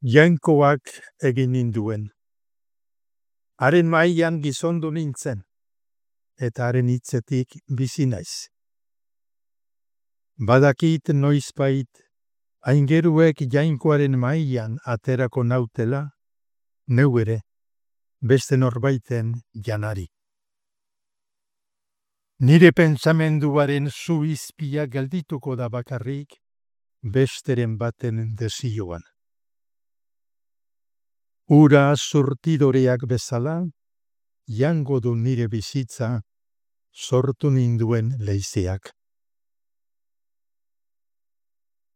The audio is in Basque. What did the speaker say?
Jainkoak egin ninduen. Haren mailan gizondu nintzen, eta haren hitzetik bizi naiz. Badakit noizbait, aingeruek jainkoaren mailan aterako nautela, neu ere, beste norbaiten janari. Nire pentsamenduaren zu izpia geldituko da bakarrik, besteren baten desioan. Ura surtidoreak bezala, jango du nire bizitza, sortu ninduen leizeak.